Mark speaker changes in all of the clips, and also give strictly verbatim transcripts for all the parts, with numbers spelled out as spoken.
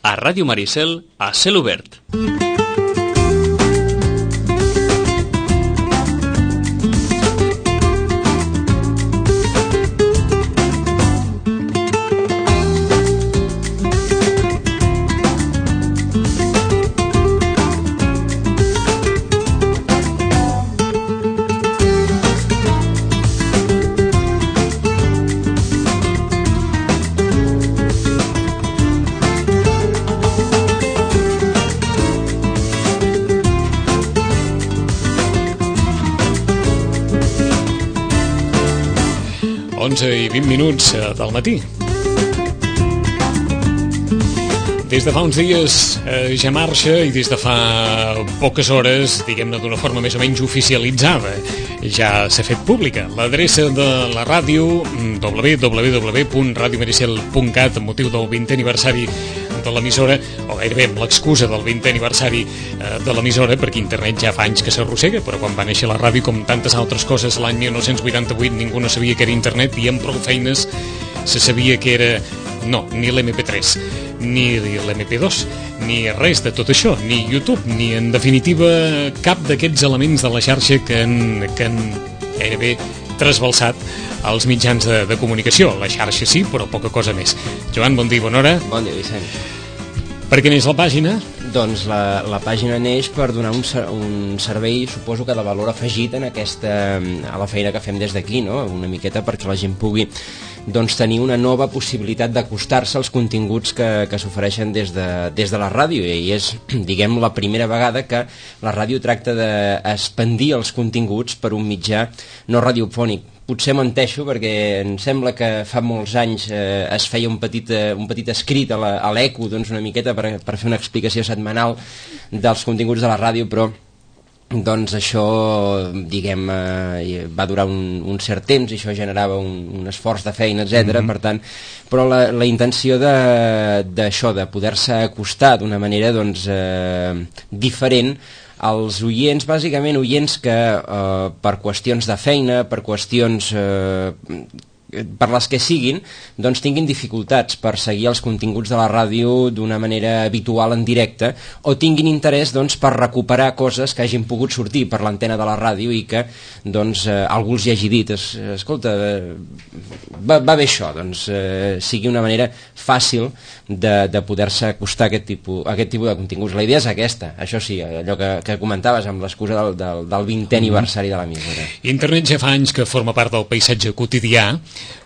Speaker 1: a Ràdio Maricel a cel obert.
Speaker 2: onze i vint minuts del matí. Des de fa uns dies eh, ja marxa i des de fa poques hores, diguem-ne d'una forma més o menys oficialitzada, ja s'ha fet pública l'adreça de la ràdio, w w w punt radio maricel punt cat, amb motiu del vintè aniversari de l'emissora, o gairebé amb l'excusa del vintè aniversari eh, de l'emissora, perquè internet ja fa anys que s'arrossega, però quan va néixer la ràdio, com tantes altres coses, l'any dinou vuitanta-vuit ningú no sabia que era internet, i amb prou feines se sabia que era, no, ni l'M P tres, ni l'M P dos, ni res de tot això, ni YouTube, ni en definitiva cap d'aquests elements de la xarxa que han, que han gairebé trasbalsat els mitjans de, de comunicació. La xarxa sí, però poca cosa més. Joan, bon dia, bona hora.
Speaker 3: Bon dia, Vicent.
Speaker 2: Per què neix la pàgina?
Speaker 3: Doncs la, la pàgina neix per donar un, un servei, suposo que de valor afegit en aquesta, a la feina que fem des d'aquí, no? Una miqueta perquè la gent pugui doncs, tenir una nova possibilitat d'acostar-se als continguts que, que s'ofereixen des, de, des de la ràdio, i és, diguem, la primera vegada que la ràdio tracta d'expandir els continguts per un mitjà no radiofònic. Potser menteixo, perquè em sembla que fa molts anys eh, es feia un petit, eh, un petit escrit a l'Eco, doncs una miqueta per, per fer una explicació setmanal dels continguts de la ràdio, però doncs això, diguem, eh, va durar un, un cert temps i això generava un, un esforç de feina, etcètera. Mm-hmm. Per tant, però la, la intenció d'això, de, de poder-se acostar d'una manera doncs, eh, diferent als oients, bàsicament oients que eh, per qüestions de feina, per qüestions eh, per les que siguin, doncs tinguin dificultats per seguir els continguts de la ràdio d'una manera habitual en directe, o tinguin interès doncs, per recuperar coses que hagin pogut sortir per l'antena de la ràdio i que doncs, eh, algú els hi hagi dit, es, escolta, eh, va, va bé això, doncs eh, sigui una manera fàcil de, de poder-se acostar a aquest tipus, a aquest tipus de continguts. La idea és aquesta, això sí, allò que, que comentaves amb l'excusa del, del, del vintè aniversari de l'emissora.
Speaker 2: Internet ja fa anys que forma part del paisatge quotidià,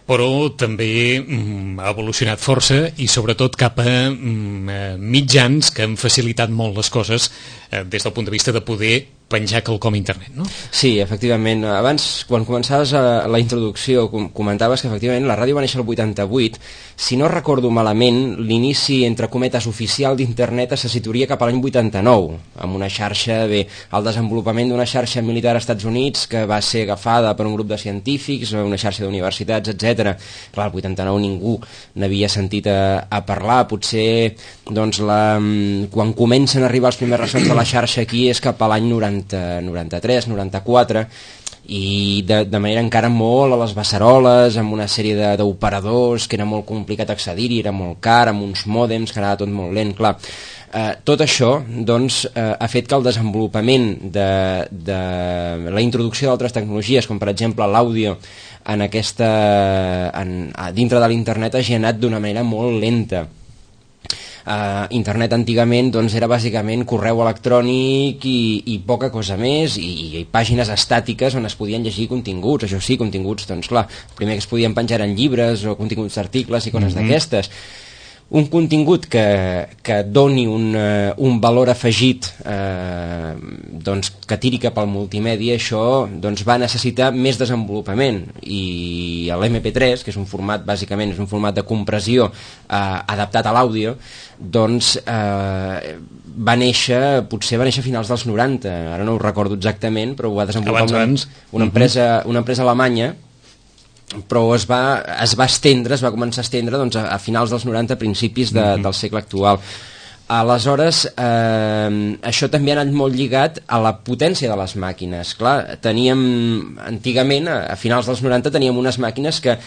Speaker 2: però també mm, ha evolucionat força i sobretot cap a mm, mitjans que han facilitat molt les coses eh, des del punt de vista de poder penjar quelcom a internet, no?
Speaker 3: Sí, efectivament. Abans, quan començaves a la introducció, com comentaves que efectivament la ràdio va néixer el vuitanta-vuit. Si no recordo malament, l'inici, entre cometes, oficial d'internet se situaria cap a l'any vuitanta-nou, amb una xarxa, bé, el desenvolupament d'una xarxa militar als Estats Units que va ser agafada per un grup de científics, una xarxa d'universitats, etcètera. Clar, el vuitanta-nou ningú n'havia sentit a, a parlar. Potser, doncs, la, quan comencen a arribar els primers ressons de la xarxa aquí és cap a l'any noranta, noranta-tres, noranta-quatre, i de, de manera encara molt a les beceroles, amb una sèrie d'operadors que era molt complicat accedir-hi, era molt car, amb uns mòdems que anava tot molt lent, clar. Eh, tot això doncs, eh, ha fet que el desenvolupament de, de la introducció d'altres tecnologies, com per exemple l'àudio, en aquesta, en, dintre de l'internet hagi anat d'una manera molt lenta. Uh, internet antigament doncs, era bàsicament correu electrònic i, i poca cosa més, i, i pàgines estàtiques on es podien llegir continguts, això sí, continguts, doncs clar, el primer que es podien penjar eren llibres o continguts d'articles i coses mm-hmm. d'aquestes. Un contingut que, que doni un, uh, un valor afegit eh, doncs, que tiri cap al multimèdia, això doncs, va necessitar més desenvolupament, i l'M P tres, que és un format, bàsicament, és un format de compressió eh, adaptat a l'àudio, doncs eh, va néixer, potser va néixer a finals dels noranta, ara no ho recordo exactament, però ho va desenvolupar
Speaker 2: abans,
Speaker 3: una,
Speaker 2: abans.
Speaker 3: una, empresa, una empresa alemanya, però es va, es va estendre, es va començar a estendre doncs, a, a finals dels noranta, principis de, mm-hmm. del segle actual. Aleshores, eh, això també ha anat molt lligat a la potència de les màquines. Clar, teníem, antigament, a, a finals dels noranta, teníem unes màquines que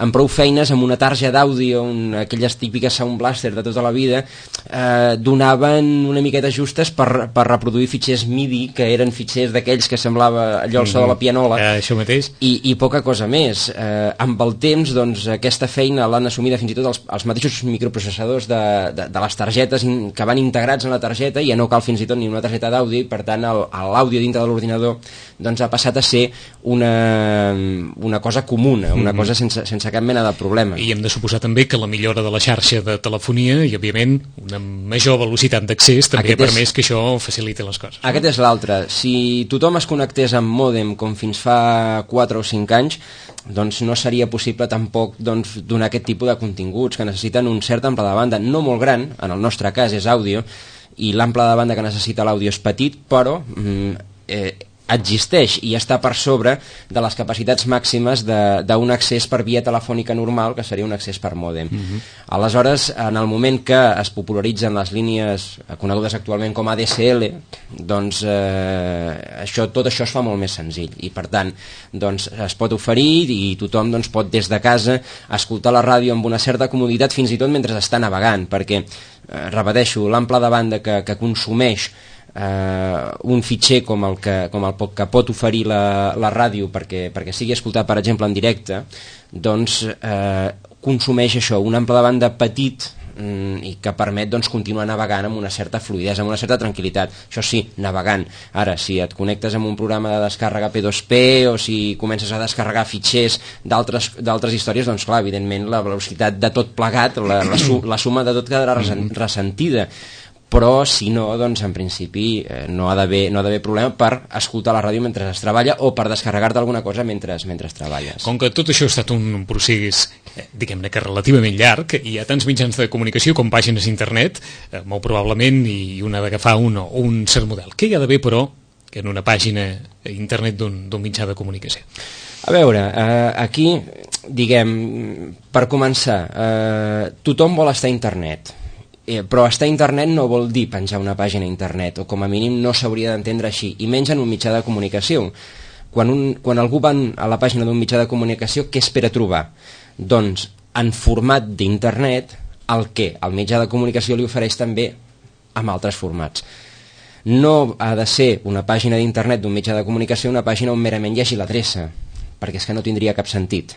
Speaker 3: amb prou feines, amb una tarja d'àudio, aquelles típiques Sound Blaster de tota la vida, eh, donaven una miqueta justes per, per reproduir fitxers MIDI, que eren fitxers d'aquells que semblava allò el so de la pianola,
Speaker 2: eh, això mateix.
Speaker 3: I, i poca cosa més. Eh, amb el temps, doncs, aquesta feina l'han assumida fins i tot els, els mateixos microprocessadors de, de, de les targetes in, que van integrats en la targeta, i ja no cal fins i tot ni una targeta d'àudio, i per tant l'àudio dintre de l'ordinador doncs, ha passat a ser una, una cosa comuna, una mm-hmm. cosa sense, sense cap mena de problema.
Speaker 2: I hem de suposar també que la millora de la xarxa de telefonia i, òbviament, una major velocitat d'accés també Aquest ha permès és... que això faciliti les coses.
Speaker 3: Aquest no? és l'altre. Si tothom es connectés amb mòdem com fins fa quatre o cinc anys, doncs no seria possible tampoc doncs, donar aquest tipus de continguts que necessiten un cert ample de banda, no molt gran, en el nostre cas és àudio, i l'ample de banda que necessita l'àudio és petit, però mm, eh, existeix i està per sobre de les capacitats màximes d'un accés per via telefònica normal, que seria un accés per mòdem. Uh-huh. Aleshores, en el moment que es popularitzen les línies conegudes actualment com A D S L, doncs eh, això, tot això es fa molt més senzill, i per tant doncs, es pot oferir i tothom doncs, pot des de casa escoltar la ràdio amb una certa comoditat, fins i tot mentre està navegant, perquè, eh, repeteixo, l'ample de banda que, que consumeix Uh, un fitxer com el que, com el que pot oferir la, la ràdio perquè, perquè sigui escoltat, per exemple, en directe, doncs uh, consumeix això, un ample de banda petit, um, i que permet doncs, continuar navegant amb una certa fluïdesa, amb una certa tranquil·litat. Això sí, navegant. Ara, si et connectes amb un programa de descàrrega P dos P o si comences a descarregar fitxers d'altres històries, doncs clar, evidentment la velocitat de tot plegat, la, la, su la suma de tot quedarà ressentida. Però si no, doncs en principi eh, no ha d'haver no ha d'haver problema per escoltar la ràdio mentre es treballa o per descarregar-te alguna cosa mentre, mentre treballes.
Speaker 2: Com que tot això ha estat un procés, eh, diguem-ne que relativament llarg, i hi ha tants mitjans de comunicació com pàgines d'internet, eh, molt probablement, i una d'agafar un o un cert model. Què hi ha d'haver, però, en una pàgina internet d'un mitjà de comunicació?
Speaker 3: A veure, eh, aquí, diguem, per començar, eh, tothom vol estar a internet. Eh, però estar a internet no vol dir penjar una pàgina a internet, o com a mínim no s'hauria d'entendre així, i menys en un mitjà de comunicació. Quan, un, quan algú va a la pàgina d'un mitjà de comunicació, què espera trobar? Doncs en format d'internet el que el mitjà de comunicació li ofereix també amb altres formats. No ha de ser una pàgina d'internet d'un mitjà de comunicació una pàgina on merament hi hagi l'adreça, perquè és que no tindria cap sentit.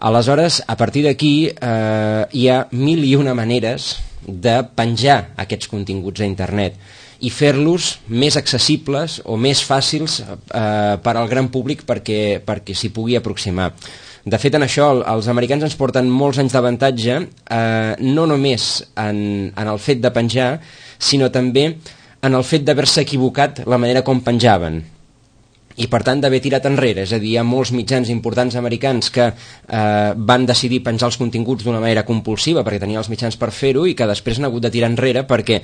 Speaker 3: Aleshores, a partir d'aquí eh, hi ha mil i una maneres de penjar aquests continguts a internet i fer-los més accessibles o més fàcils eh, per al gran públic perquè, perquè s'hi pugui aproximar. De fet, en això els americans ens porten molts anys d'avantatge, eh, no només en, en el fet de penjar, sinó també en el fet d'haver-se equivocat la manera com penjaven, i per tant d'haver tirat enrere. És a dir, hi ha molts mitjans importants americans que eh, van decidir penjar els continguts d'una manera compulsiva perquè tenien els mitjans per fer-ho, i que després han hagut de tirar enrere perquè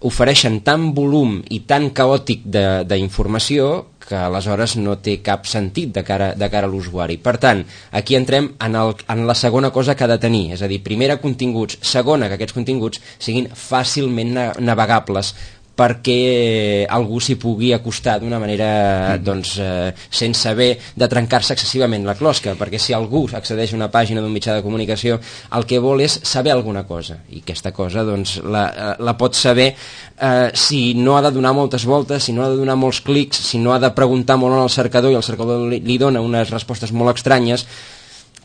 Speaker 3: ofereixen tant volum i tan caòtic d'informació que aleshores no té cap sentit de cara, de cara a l'usuari. Per tant, aquí entrem en, el, en la segona cosa que ha de tenir, és a dir, primera, continguts, segona, que aquests continguts siguin fàcilment navegables perquè algú s'hi pugui acostar d'una manera mm. doncs, eh, sense haver de trencar-se excessivament la closca, perquè si algú accedeix a una pàgina d'un mitjà de comunicació, el que vol és saber alguna cosa, i aquesta cosa doncs, la, la pot saber eh, si no ha de donar moltes voltes, si no ha de donar molts clics, si no ha de preguntar molt en el cercador i el cercador li, li dona unes respostes molt estranyes,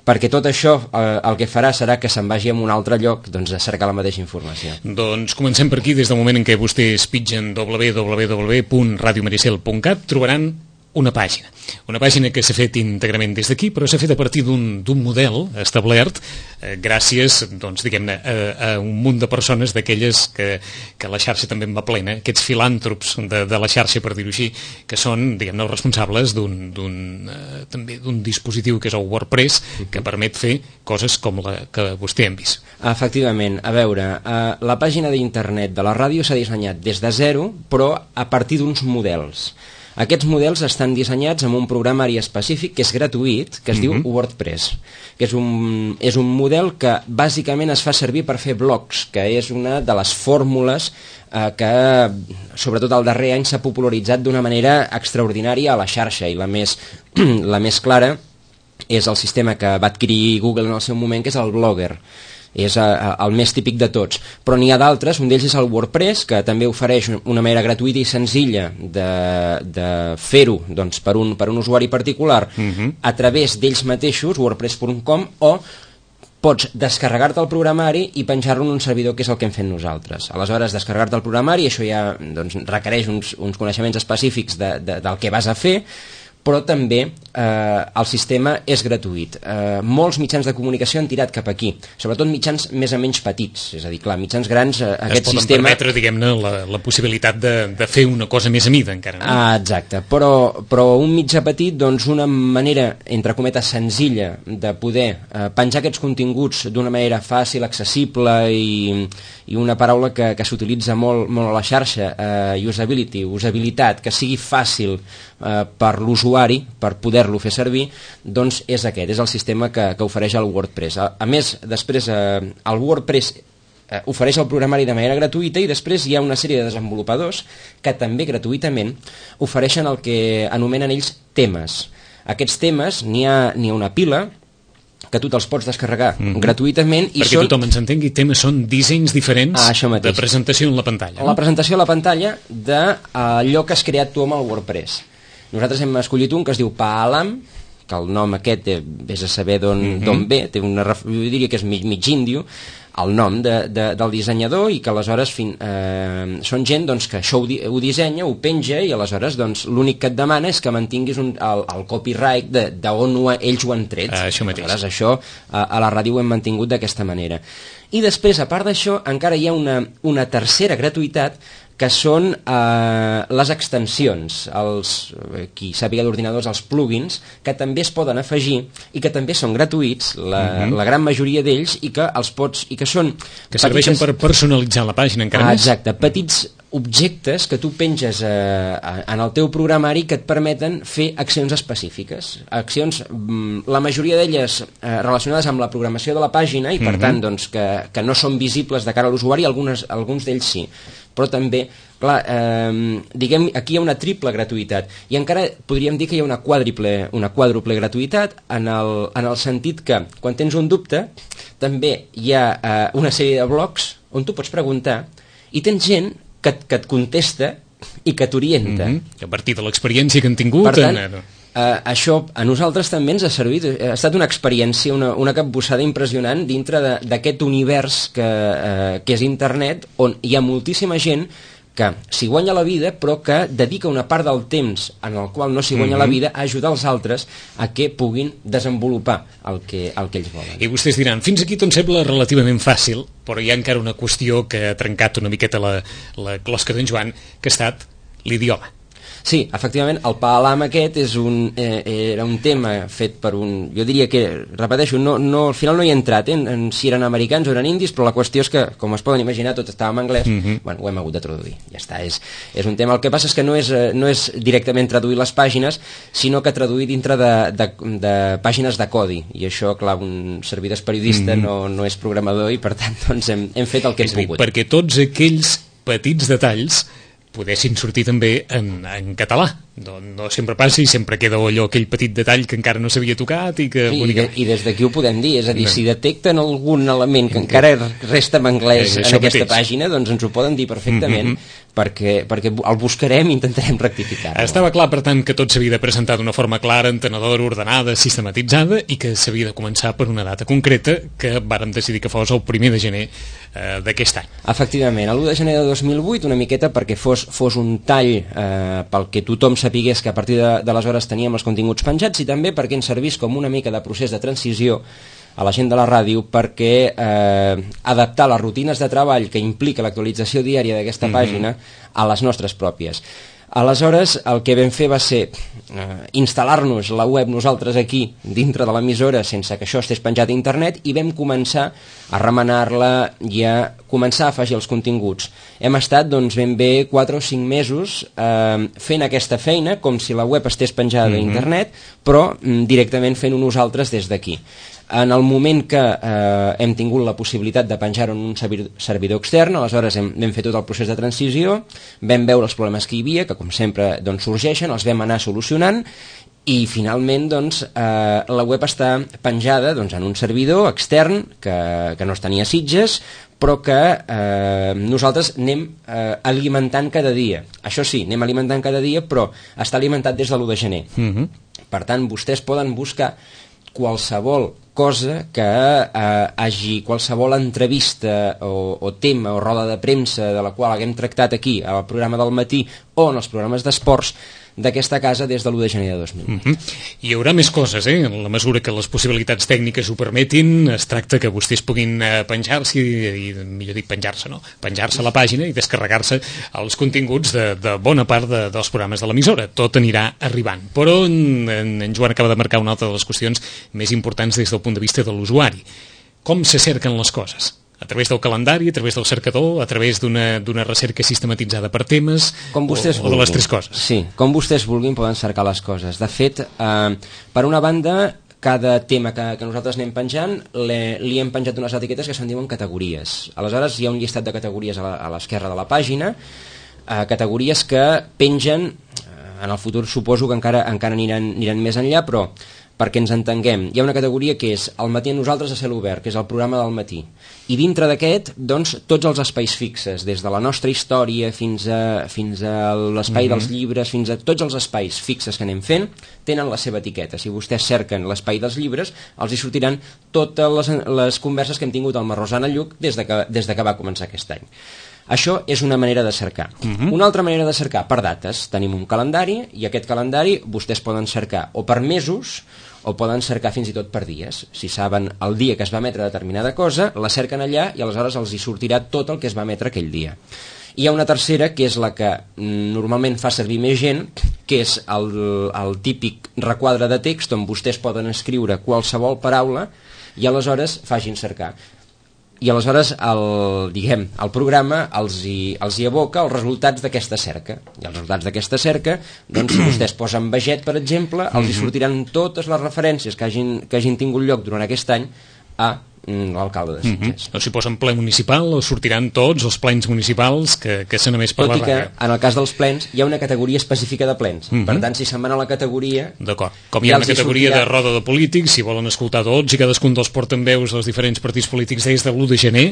Speaker 3: perquè tot això eh, el que farà serà que se'n vagi a un altre lloc doncs, a cercar la mateixa informació.
Speaker 2: Doncs comencem per aquí. Des del moment en què vostès pitgen w w w punt radio maricel punt cat trobaran una pàgina. Una pàgina que s'ha fet íntegrament des d'aquí, però s'ha fet a partir d'un model establert eh, gràcies, doncs, diguem-ne, a, a un munt de persones d'aquelles que, que la xarxa també en va plena, aquests filàntrops de, de la xarxa, per dir-ho així, que són, diguem-ne, els responsables d'un eh, també d'un dispositiu que és el WordPress, que permet fer coses com la que vostè hem vist.
Speaker 3: Efectivament. A veure, eh, la pàgina d'internet de la ràdio s'ha dissenyat des de zero, però a partir d'uns models. Aquests models estan dissenyats amb un programari específic que és gratuït, que es mm-hmm. diu WordPress, que és un, és un model que bàsicament es fa servir per fer blogs, que és una de les fórmules eh, que, sobretot el darrer any, s'ha popularitzat d'una manera extraordinària a la xarxa, i la més, la més clara és el sistema que va adquirir Google en el seu moment, que és el Blogger. És uh, el més típic de tots, però n'hi ha d'altres. Un d'ells és el WordPress, que també ofereix una manera gratuïta i senzilla de, de fer-ho, doncs, per, un, per un usuari particular uh-huh. a través d'ells mateixos, wordpress punt com, o pots descarregar-te el programari i penjar-lo en un servidor, que és el que hem fet nosaltres. Aleshores, descarregar-te el programari, això ja doncs, requereix uns, uns coneixements específics de, de, del que vas a fer, però també eh, el sistema és gratuït. Eh, molts mitjans de comunicació han tirat cap aquí, sobretot mitjans més o menys petits, és a dir, clar, mitjans grans, eh, aquest sistema... Es
Speaker 2: poden permetre, diguem-ne, la, la possibilitat de, de fer una cosa més a mida, encara. No?
Speaker 3: Ah, exacte, però, però un mitjà petit, doncs una manera, entre cometes, senzilla de poder eh, penjar aquests continguts d'una manera fàcil, accessible i, i una paraula que, que s'utilitza molt, molt a la xarxa, eh, usability, usabilitat, que sigui fàcil eh, per l'usuari, per poder-lo fer servir, doncs és aquest, és el sistema que, que ofereix el WordPress. A, a més, després eh, el WordPress eh, ofereix el programari de manera gratuïta i després hi ha una sèrie de desenvolupadors que també gratuïtament ofereixen el que anomenen ells temes. Aquests temes n'hi ha, n'hi ha una pila que tu te'ls pots descarregar mm-hmm. gratuïtament. I
Speaker 2: perquè
Speaker 3: són...
Speaker 2: tothom ens entengui, temes són dissenys diferents
Speaker 3: ah,
Speaker 2: de presentació en la pantalla.
Speaker 3: No? La presentació a la pantalla d'allò que has creat tu amb el WordPress. Nosaltres hem escollit un que es diu Paalam, que el nom aquest eh, vés a saber d'on mm-hmm. ve, té una, jo diria que és mig, mig índio, el nom de, de, del dissenyador, i que aleshores fin, eh, són gent doncs, que això ho, di, ho dissenya, ho penja, i aleshores doncs, l'únic que et demana és que mantinguis un, el, el copyright d'on ells ho han tret.
Speaker 2: Ah, això mateix.
Speaker 3: Aleshores això a, a la ràdio ho hem mantingut d'aquesta manera. I després, a part d'això, encara hi ha una, una tercera gratuïtat, que són eh, les extensions, els, qui sàpiga d'ordinadors, els plugins, que també es poden afegir i que també són gratuïts, la, mm-hmm. la gran majoria d'ells, i que els pots, i que són...
Speaker 2: Que serveixen petites... per personalitzar la pàgina encara
Speaker 3: ah,
Speaker 2: més.
Speaker 3: Exacte, petits objectes que tu penges eh, en el teu programari que et permeten fer accions específiques. Accions, la majoria d'elles eh, relacionades amb la programació de la pàgina i per mm-hmm. tant doncs, que, que no són visibles de cara a l'usuari, algunes, alguns d'ells sí. Però també, clar, eh, diguem, aquí hi ha una triple gratuïtat i encara podríem dir que hi ha una quàdruple, una quàdruple gratuïtat en el, en el sentit que quan tens un dubte també hi ha eh, una sèrie de blogs on tu pots preguntar i tens gent que, que et contesta i que t'orienta.
Speaker 2: Mm-hmm. A partir de l'experiència que han tingut...
Speaker 3: Per tant,
Speaker 2: en...
Speaker 3: Uh, això a nosaltres també ens ha servit, ha estat una experiència, una, una capbussada impressionant dintre d'aquest univers que, uh, que és internet, on hi ha moltíssima gent que s'hi guanya la vida, però que dedica una part del temps en el qual no s'hi guanya mm-hmm. la vida a ajudar els altres a que puguin desenvolupar el que, el que ells volen.
Speaker 2: I vostès diran, fins aquí tot sembla relativament fàcil, però hi ha encara una qüestió que ha trencat una miqueta la, la closca d'en Joan, que ha estat l'idioma.
Speaker 3: Sí, efectivament, el Paalam aquest és un, eh, era un tema fet per un... Jo diria que, repeteixo, no, no, al final no hi he entrat, eh, en si eren americans o eren indis, però la qüestió és que, com es poden imaginar, tot estava en anglès, mm-hmm. bueno, ho hem hagut de traduir, ja està, és, és un tema. El que passa és que no és, no és directament traduir les pàgines, sinó que traduir dintre de, de, de pàgines de codi, i això, clar, un servidor és periodista, mm-hmm. no, no és programador, i per tant, doncs, hem, hem fet el que hem pogut.
Speaker 2: Perquè tots aquells petits detalls poguessin sortir també en, en català. No, no sempre passa i sempre queda allò, aquell petit detall que encara no s'havia tocat i que...
Speaker 3: Sí, i, i des d'aquí ho podem dir, és a dir, no. si detecten algun element que encara resta en anglès eh, en aquesta mateix. pàgina, doncs ens ho poden dir perfectament, mm-hmm. perquè, perquè el buscarem i intentarem rectificar.
Speaker 2: Estava clar, per tant, que tot s'havia de presentar d'una forma clara, entenedora, ordenada, sistematitzada, i que s'havia de començar per una data concreta que vàrem decidir que fos el primer de gener eh, d'aquest any.
Speaker 3: Efectivament, l'u de gener de dos mil vuit, una miqueta perquè fos, fos un tall eh, pel que tothom sapigués que a partir de, d'aleshores teníem els continguts penjats, i també perquè ens servís com una mica de procés de transició a la gent de la ràdio, perquè eh, adaptar les rutines de treball que implica l'actualització diària d'aquesta mm-hmm. pàgina a les nostres pròpies. Aleshores, el que vam fer va ser eh, instal·lar-nos la web nosaltres aquí, dintre de l'emissora, sense que això estés penjat a internet, i vam començar a remenar-la i a començar a afegir els continguts. Hem estat, doncs, ben bé quatre o cinc mesos eh, fent aquesta feina, com si la web estés penjada mm-hmm. a internet, però mm, directament fent-ho nosaltres des d'aquí. En el moment que eh, hem tingut la possibilitat de penjar-ho en un servidor extern, aleshores hem, vam fer tot el procés de transició, vam veure els problemes que hi havia, que com sempre doncs, sorgeixen, els vam anar solucionant, I finalment doncs, eh, la web està penjada doncs, en un servidor extern que, que no es tenia Sitges, però que eh, nosaltres anem eh, alimentant cada dia. Això sí, anem alimentant cada dia, però està alimentat des de l'u de gener.
Speaker 2: Mm-hmm.
Speaker 3: Per tant, vostès poden buscar qualsevol cosa que eh, hagi, qualsevol entrevista o, o tema o roda de premsa de la qual haguem tractat aquí al programa del matí o en els programes d'esports d'aquesta casa des de l'u de gener de dos mil vuit.
Speaker 2: Mm-hmm. Hi haurà més coses, eh? En la mesura que les possibilitats tècniques ho permetin, es tracta que vostès puguin eh, penjar-se, i, i millor dit penjar-se, no? Penjar-se a la pàgina i descarregar-se els continguts de, de bona part de, dels programes de l'emissora. Tot anirà arribant. Però en, en, en Joan acaba de marcar una altra de les qüestions més importants des del punt de vista de l'usuari. Com se cerquen les coses? A través del calendari, a través del cercador, a través d'una d'una recerca sistematitzada per temes,
Speaker 3: com vostès
Speaker 2: o, o de les tres coses?
Speaker 3: Sí, com vostès vulguin poden cercar les coses. De fet, eh, per una banda, cada tema que, que nosaltres anem penjant le, li hem penjat unes etiquetes que se'n diuen categories. Aleshores hi ha un llistat de categories a l'esquerra de la pàgina, eh, categories que pengen, eh, en el futur suposo que encara, encara aniran, aniran més enllà, però perquè ens entenguem, hi ha una categoria que és El matí a nosaltres a cel obert, que és el programa del matí, i dintre d'aquest, doncs, tots els espais fixes, des de la nostra història fins a, fins a l'espai mm-hmm. dels llibres, fins a tots els espais fixes que anem fent, tenen la seva etiqueta. Si vostès cerquen l'espai dels llibres, els hi sortiran totes les, les converses que hem tingut amb la Rosana Lluc des de que, des de que va començar aquest any. Això és una manera de cercar. Uh-huh. Una altra manera de cercar per dates. Tenim un calendari i aquest calendari vostès poden cercar o per mesos o poden cercar fins i tot per dies. Si saben el dia que es va emetre determinada cosa, la cerquen allà i aleshores els hi sortirà tot el que es va emetre aquell dia. Hi ha una tercera, que és la que normalment fa servir més gent, que és el, el típic requadre de text on vostès poden escriure qualsevol paraula i aleshores facin cercar. I aleshores el, diguem, el programa els hi, els hi aboca els resultats d'aquesta cerca. I els resultats d'aquesta cerca, doncs, si vostès posen Veget, per exemple, els hi sortiran totes les referències que hagin, que hagin tingut lloc durant aquest any a l'alcalde de Sitges.
Speaker 2: Mm-hmm. O si posen ple municipal, o sortiran tots els plens municipals que, que s'han emès per
Speaker 3: Tot
Speaker 2: la
Speaker 3: i que,
Speaker 2: ràdio.
Speaker 3: en el cas dels plens, hi ha una categoria específica de plens. Mm-hmm. Per tant, si se'n van a la categoria...
Speaker 2: D'acord. Com hi ha una categoria sortirà... de roda de polítics, si volen escoltar tots i cadascun dels portaveus dels diferents partits polítics des de l'u de gener,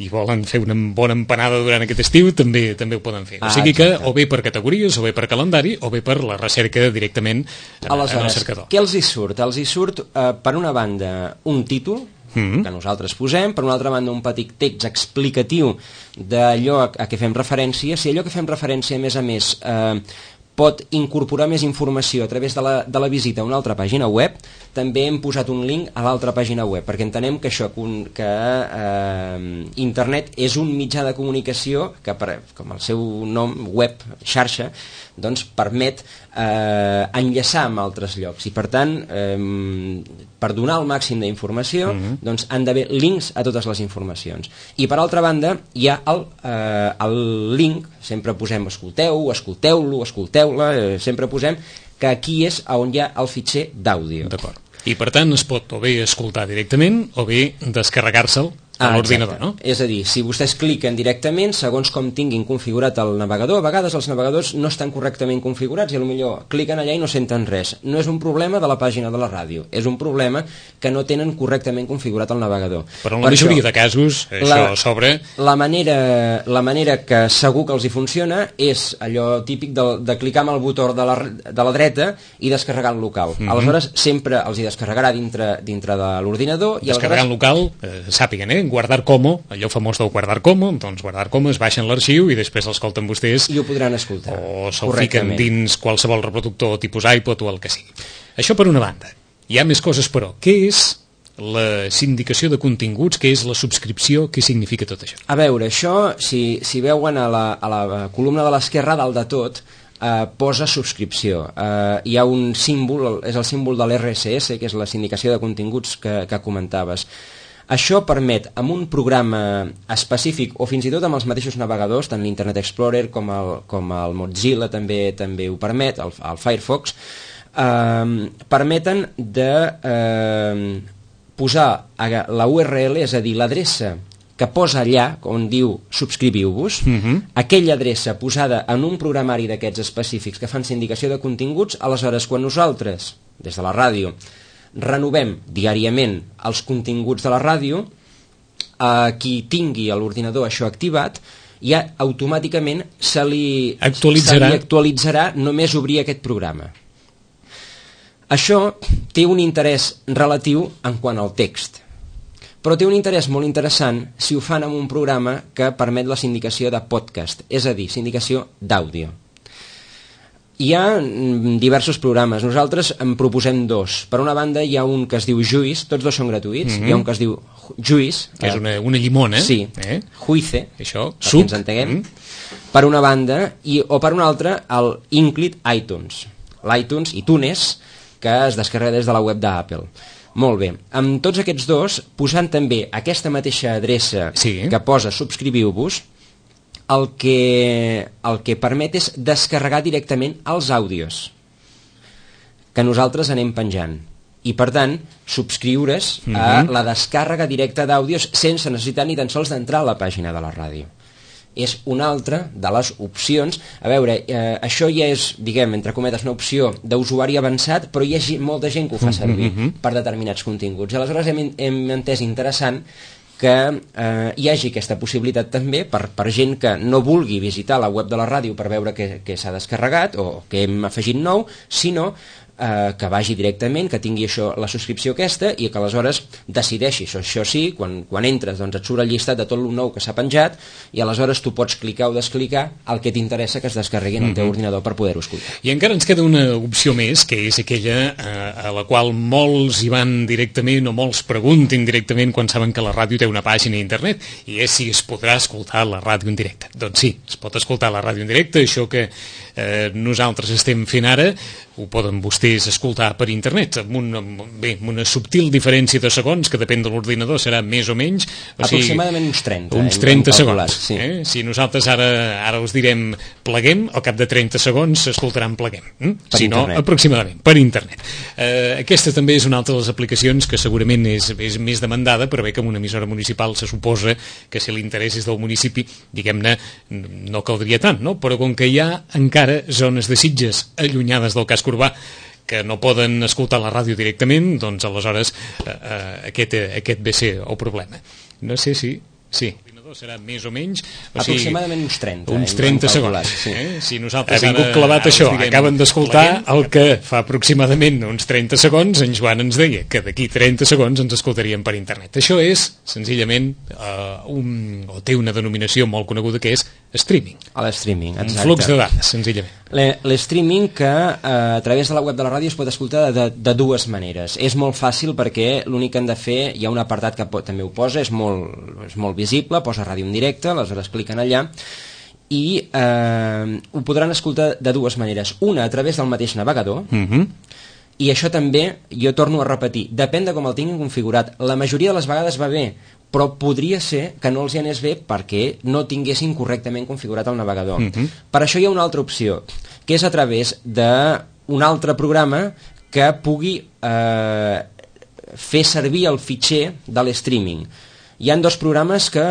Speaker 2: i volen fer una bona empanada durant aquest estiu, també també ho poden fer. O sigui que, o bé per categories, o bé per calendari, o bé per la recerca directament en,
Speaker 3: aleshores,
Speaker 2: en el cercador.
Speaker 3: Què els hi surt? Els hi surt, eh, per una banda, un títol, mm-hmm. que nosaltres posem, per una altra banda un petit text explicatiu d'allò a, a què fem referència. Si allò que fem referència, a més a més, eh, pot incorporar més informació a través de la, de la visita a una altra pàgina web, també hem posat un link a l'altra pàgina web, perquè entenem que això, que eh, internet és un mitjà de comunicació que, per, com el seu nom, web, xarxa, doncs permet eh, enllaçar amb altres llocs, i per tant, eh, per donar el màxim d'informació, mm-hmm. doncs han d'haver links a totes les informacions. I per altra banda, hi ha el, eh, el link, sempre posem escolteu, escolteu-lo, escolteu-la, eh, sempre posem que aquí és on hi ha el fitxer d'àudio.
Speaker 2: D'acord. I per tant es pot o bé escoltar directament o bé descarregar-se'l a ah, l'ordinador, no?
Speaker 3: És a dir, si vostès cliquen directament, segons com tinguin configurat el navegador, a vegades els navegadors no estan correctament configurats i potser cliquen allà i no senten res. No és un problema de la pàgina de la ràdio, és un problema que no tenen correctament configurat el navegador.
Speaker 2: Però en la per majoria això, de casos, això
Speaker 3: la,
Speaker 2: sobre...
Speaker 3: La manera, la manera que segur que els hi funciona és allò típic de, de clicar amb el botó de la, de la dreta i descarregar el local. Mm-hmm. Aleshores, sempre els hi descarregarà dintre, dintre de l'ordinador.
Speaker 2: Descarregar el local, eh, sàpiguen, eh? Guardar como, allò famós del guardar como, doncs guardar como, es baixen l'arxiu i després l'escolten vostès.
Speaker 3: I ho podran escoltar.
Speaker 2: O se'l fiquen dins qualsevol reproductor tipus iPod o el que sigui. Això per una banda. Hi ha més coses, però. Què és la sindicació de continguts? Què és la subscripció? Què significa tot això?
Speaker 3: A veure, això, si, si veuen a la, a la columna de l'esquerra, dalt de tot, Uh, posa subscripció. Uh, hi ha un símbol, és el símbol de l'R S S, que és la sindicació de continguts que, que comentaves. Això permet, amb un programa específic, o fins i tot amb els mateixos navegadors, tant l'Internet Explorer com el, com el Mozilla també també ho permet, el, el Firefox, uh, permeten de uh, posar la U R L, és a dir, l'adreça que posa allà, on diu subscriviu-vos, uh-huh. aquella adreça posada en un programari d'aquests específics que fan sindicació de continguts. Aleshores, quan nosaltres, des de la ràdio, renovem diàriament els continguts de la ràdio, a qui tingui a l'ordinador això activat, ja automàticament se li
Speaker 2: actualitzarà,
Speaker 3: se li actualitzarà només obrir aquest programa. Això té un interès relatiu en quant al text, però té un interès molt interessant si ho fan amb un programa que permet la sindicació de podcast, és a dir, sindicació d'àudio. Hi ha diversos programes, nosaltres en proposem dos. Per una banda hi ha un que es diu Juice, tots dos són gratuïts, mm-hmm. hi ha un que es diu Juice,
Speaker 2: que és una, una llimona,
Speaker 3: sí,
Speaker 2: eh?
Speaker 3: Juice,
Speaker 2: això,
Speaker 3: per
Speaker 2: suc,
Speaker 3: ens entenguem,
Speaker 2: mm.
Speaker 3: per una banda, i, o per una altra el Inclid iTunes, l'iTunes, iTunes, que es descarrega des de la web d'Apple. Molt bé, amb tots aquests dos, posant també aquesta mateixa adreça
Speaker 2: sí.
Speaker 3: que posa subscriviu-vos, el que, el que permet és descarregar directament els àudios que nosaltres anem penjant. I, per tant, subscriure's mm-hmm. a la descàrrega directa d'àudios sense necessitat ni tan sols d'entrar a la pàgina de la ràdio. És una altra de les opcions. A veure, eh, això ja és, diguem, entre cometes, una opció d'usuari avançat, però hi ha molta gent que ho fa servir mm-hmm. per determinats continguts. I aleshores hem, hem entès interessant que eh, hi hagi aquesta possibilitat també per, per gent que no vulgui visitar la web de la ràdio per veure què, què s'ha descarregat o què hem afegit nou, sinó eh, que vagi directament, que tingui això, la subscripció aquesta, i que aleshores decideixi, això, això sí, quan, quan entres doncs et surt el llistat de tot el nou que s'ha penjat i aleshores tu pots clicar o desclicar el que t'interessa que es descarregui en el teu ordinador per poder-ho escoltar.
Speaker 2: I encara ens queda una opció més, que és aquella eh, a la qual molts hi van directament o molts pregunten directament quan saben que la ràdio té una pàgina a internet, i és si es podrà escoltar la ràdio en directe. Doncs sí, es pot escoltar la ràdio en directe, això que eh, nosaltres estem fent ara ho poden vostès escoltar per internet amb una, bé, amb una subtil diferència de segons que depèn de l'ordinador, serà més o menys o
Speaker 3: aproximadament sigui, uns trenta
Speaker 2: uns trenta
Speaker 3: eh,
Speaker 2: segons
Speaker 3: sí.
Speaker 2: eh? Si nosaltres ara, ara us direm pleguem, al cap de trenta segons s'escoltaran pleguem, hm? Si no, internet. Aproximadament, per internet. eh, aquesta també és una altra de les aplicacions que segurament és, és més demandada, però bé que amb una emissora municipal se suposa que si l'interès és del municipi, diguem-ne, no caldria tant, no? Però com que hi ha encara zones de Sitges allunyades del casc urbà que no poden escoltar la ràdio directament, doncs aleshores eh, eh, aquest, eh, aquest ve ser el problema. No sé si... Sí. Serà més o menys o
Speaker 3: aproximadament uns trenta
Speaker 2: uns trenta segons
Speaker 3: sí.
Speaker 2: eh? Si nosaltres ha vingut clavat ara, això, diguem, acaben d'escoltar el que fa aproximadament uns trenta segons en Joan ens deia que d'aquí trenta segons ens escoltaríem per internet. Això és senzillament uh, un, o té una denominació molt coneguda que és streaming,
Speaker 3: a l'streaming,
Speaker 2: un flux de dades senzillament.
Speaker 3: L'streaming que eh, a través de la web de la ràdio es pot escoltar de, de dues maneres. És molt fàcil perquè l'únic que han de fer, hi ha un apartat que pot, també ho posa, és molt, és molt visible, posa ràdio en directe, aleshores cliquen allà i eh, ho podran escoltar de dues maneres. Una a través del mateix navegador,
Speaker 2: mm-hmm.
Speaker 3: i això també, jo torno a repetir, depèn de com el tinguin configurat. La majoria de les vegades va bé, però podria ser que no els hi anés bé perquè no tinguessin correctament configurat el navegador.
Speaker 2: Mm-hmm.
Speaker 3: Per això hi ha una altra opció, que és a través d'un altre programa que pugui eh, fer servir el fitxer de l'streaming. Hi ha dos programes que,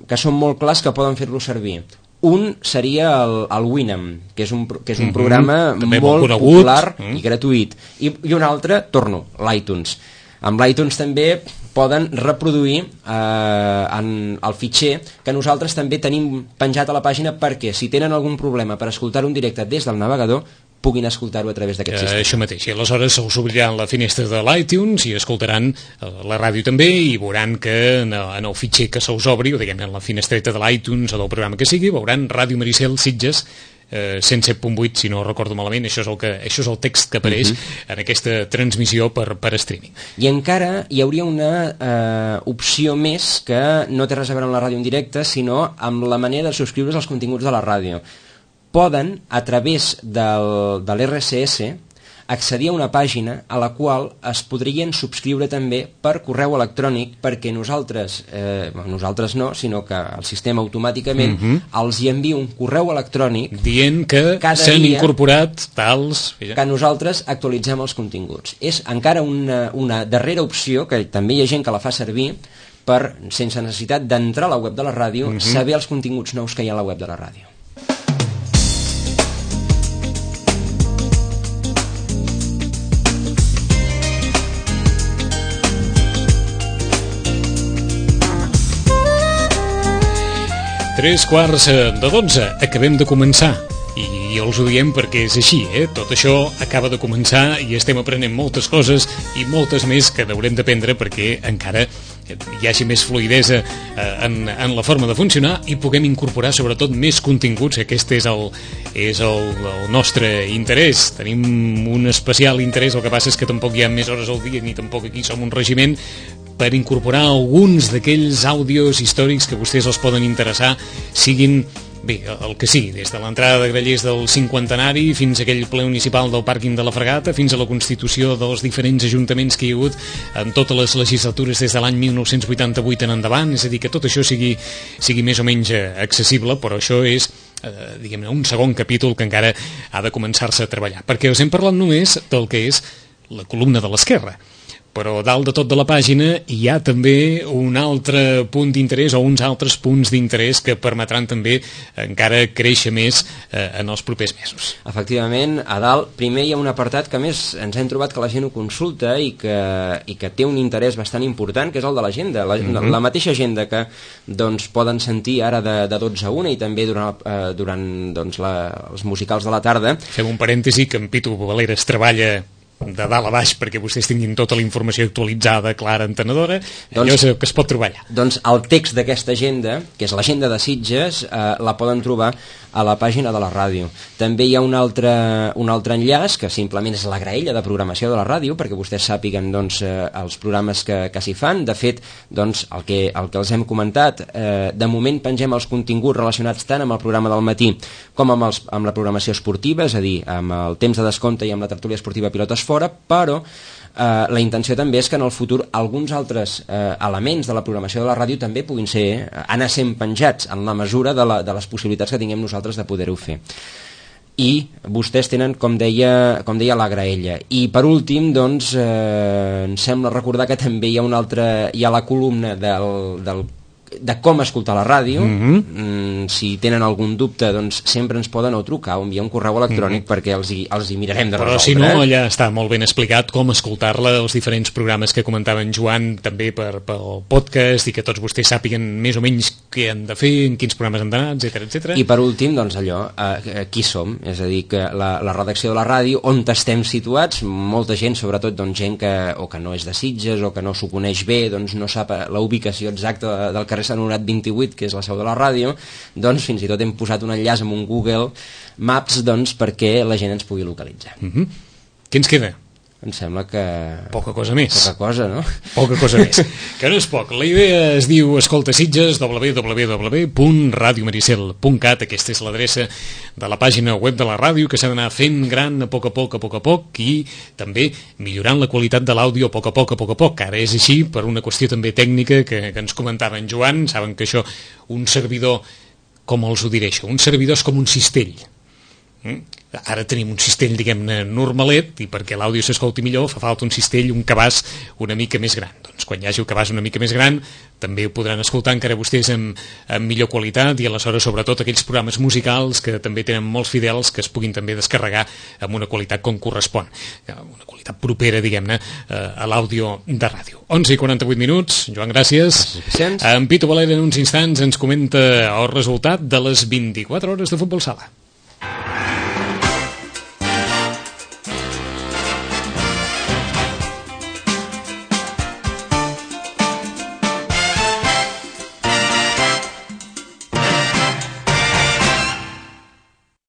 Speaker 3: que són molt clars que poden fer-lo servir. Un seria el, el Winamp, que és un, que és un mm-hmm. programa
Speaker 2: també
Speaker 3: molt
Speaker 2: molt
Speaker 3: popular
Speaker 2: mm.
Speaker 3: i gratuït. I, i un altre, torno, l'iTunes. Amb l'iTunes també poden reproduir eh, en el fitxer que nosaltres també tenim penjat a la pàgina perquè si tenen algun problema per escoltar-ho en directe des del navegador puguin escoltar-ho a través d'aquest
Speaker 2: eh,
Speaker 3: sistema.
Speaker 2: Això mateix, i aleshores se'ls obrirà la finestra de l'iTunes i escoltaran eh, la ràdio també i veuran que en el, en el fitxer que se'ls obri, o diguem en la finestreta de l'iTunes o del programa que sigui, veuran Ràdio Maricel Sitges eh, cent set punt vuit, si no recordo malament, això és el, que, això és el text que apareix uh-huh. en aquesta transmissió per, per streaming.
Speaker 3: I encara hi hauria una eh, opció més que no té res a veure amb la ràdio en directe, sinó amb la manera de subscriure's als continguts de la ràdio. Poden, a través del, de l'R S S, accedir a una pàgina a la qual es podrien subscriure també per correu electrònic perquè nosaltres, eh, nosaltres no, sinó que el sistema automàticament uh-huh. els hi envia un correu electrònic
Speaker 2: dient que s'han incorporat tals...
Speaker 3: que nosaltres actualitzem els continguts. És encara una, una darrera opció, que també hi ha gent que la fa servir, per, sense necessitat d'entrar a la web de la ràdio, mm-hmm. saber els continguts nous que hi ha a la web de la ràdio.
Speaker 2: Tres quarts de dotze, acabem de començar. I els ho diem perquè és així, eh? Tot això acaba de començar i estem aprenent moltes coses i moltes més que haurem d'aprendre perquè encara hi hagi més fluidesa en, en la forma de funcionar i puguem incorporar sobretot més continguts. Aquest és el, és el, el nostre interès. Tenim un especial interès, el que passa és que tampoc hi ha més hores al dia ni tampoc aquí som un regiment, per incorporar alguns d'aquells àudios històrics que vostès els poden interessar, siguin, bé, el que sigui, des de l'entrada de Grallers del cinquantenari fins a aquell ple municipal del pàrquing de la Fregata, fins a la constitució dels diferents ajuntaments que hi ha hagut en totes les legislatures des de l'any mil nou-cents vuitanta-vuit en endavant, és a dir, que tot això sigui, sigui més o menys accessible, però això és eh, diguem-ne, un segon capítol que encara ha de començar-se a treballar, perquè us hem parlat només del que és la columna de l'esquerra. Però dalt de tot de la pàgina hi ha també un altre punt d'interès o uns altres punts d'interès que permetran també encara créixer més eh, en els propers mesos.
Speaker 3: Efectivament, a dalt primer hi ha un apartat que a més ens hem trobat que la gent ho consulta i que, i que té un interès bastant important, que és el de l'agenda. La, mm-hmm. la mateixa agenda que doncs, poden sentir ara de, de dotze a una i també durant, eh, durant doncs, la, els musicals de la tarda.
Speaker 2: Fem un parèntesi que en Pitu Valeres treballa de dalt a baix perquè vostès tinguin tota la informació actualitzada, clara, entenedora, doncs, allò és el que es pot trobar allà.
Speaker 3: Doncs el text d'aquesta agenda, que és l'agenda de Sitges, eh, la poden trobar a la pàgina de la ràdio. També hi ha un altre, un altre enllaç, que simplement és la graella de programació de la ràdio, perquè vostès sàpiguen doncs, eh, els programes que, que s'hi fan. De fet, doncs, el, que, el que els hem comentat, eh, de moment pengem els continguts relacionats tant amb el programa del matí com amb, els, amb la programació esportiva, és a dir, amb el temps de descompte i amb la tertúlia esportiva Pilotes Fora, però eh, la intenció també és que en el futur alguns altres eh, elements de la programació de la ràdio també puguin ser, eh, anar sent penjats en la mesura de, la, de les possibilitats que tinguem nosaltres de poder-ho fer. I vostès tenen, com deia, com deia la graella. I per últim, doncs, eh, em sembla recordar que també hi ha una altra, hi ha la columna del, del de com escoltar la ràdio. Mm-hmm. mm, si tenen algun dubte doncs sempre ens poden o trucar o enviar un correu electrònic mm-hmm. perquè els hi, els hi mirarem de
Speaker 2: resoldre.
Speaker 3: Però
Speaker 2: si no, allà està molt ben explicat com escoltar-la, els diferents programes que comentava en Joan també per, pel podcast i que tots vostès sàpiguen més o menys què han de fer, en quins programes han d'anar, etcètera, etcètera.
Speaker 3: I per últim, doncs allò, eh, qui som? És a dir, que la, la redacció de la ràdio, on estem situats, molta gent, sobretot doncs, gent que o que no és de Sitges o que no s'ho coneix bé, doncs no sap la ubicació exacta del carrer Sant Honorat vint-i-vuit, que és la seu de la ràdio, doncs fins i tot hem posat un enllaç amb un Google Maps doncs, perquè la gent ens pugui localitzar.
Speaker 2: Mm-hmm. Què ens queda?
Speaker 3: Em sembla que...
Speaker 2: Poca cosa més.
Speaker 3: Poca cosa, no?
Speaker 2: Poca cosa més. Que no és poc. La idea es diu Escolta Sitges, w w w punt radio maricel punt cat. Aquesta és l'adreça de la pàgina web de la ràdio que s'ha d'anar fent gran a poc a poc, a poc a poc i també millorant la qualitat de l'àudio a poc a poc, a poc a poc. Ara és així per una qüestió també tècnica que, que ens comentava en Joan. Saben que això, un servidor, com els ho diré això, un servidor és com un cistell. Mm? Ara tenim un cistell, diguem-ne, normalet i perquè l'àudio s'escolti millor fa falta un cistell, un cabàs una mica més gran. Doncs quan hi hagi el cabàs una mica més gran també ho podran escoltar encara vostès amb, amb millor qualitat i aleshores sobretot aquells programes musicals que també tenen molts fidels que es puguin també descarregar amb una qualitat com correspon, una qualitat propera, diguem-ne, a l'àudio de ràdio. onze i quaranta-vuit minuts, Joan, gràcies.
Speaker 3: gràcies.
Speaker 2: En Pitu Valera en uns instants ens comenta el resultat de les vint-i-quatre hores de futbol sala.